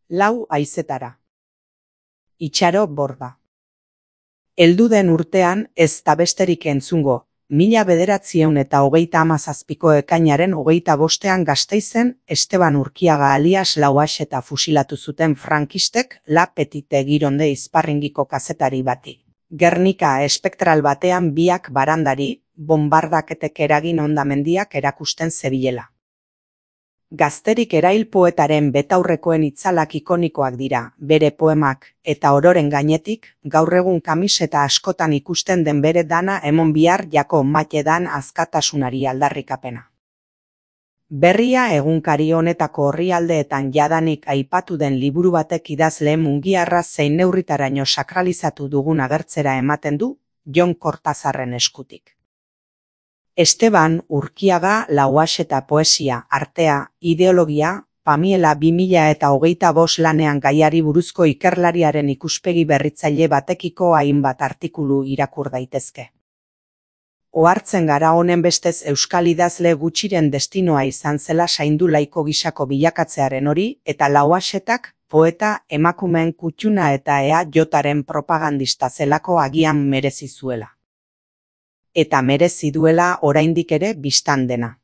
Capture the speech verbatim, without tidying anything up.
Lau haizetara. Itxaro Borda. Heldu den urtean ez da besterik entzungo, mila bederatziehun eta hogeita hamazazpiko ekainaren hogeita bostean Gasteizen Esteban Urkiaga alias Lauaxeta fusilatu zuten frankistek La Petite Gironde izparringiko kazetari bati. Gernika espektral batean biak barandari, bonbardaketek eragin hondamendiak erakusten zebilela. Gazterik erail poetaren betaurrekoen itzalak ikonikoak dira, bere poemak, eta ororen gainetik, gaur egun kamiseta askotan ikusten den bere dana emon bihar jako matedan askatasunari aldarrikapena. Berria egunkari honetako orrialdeetan jadanik aipatu den liburu batek idazle mungiarra zein neurritaraino sakralizatu dugun agertzera ematen du, Jon Kortazarren eskutik. Esteban Urkiaga Lauaxeta poesia, artea, ideologia, Pamiela bi mila eta hogeita bost lanean gaiari buruzko ikerlariaren ikuspegi berritzaile batekiko hainbat artikulu irakur daitezke. Ohartzen gara honen bestez euskal idazle gutxiren destinoa izan zela saindu laiko gisako bilakatzearen hori eta Lauaxetak poeta emakumeen kutxuna eta E A Jaren propagandista zelako agian merezi zuela. Eta merezi duela oraindik ere bistan dena.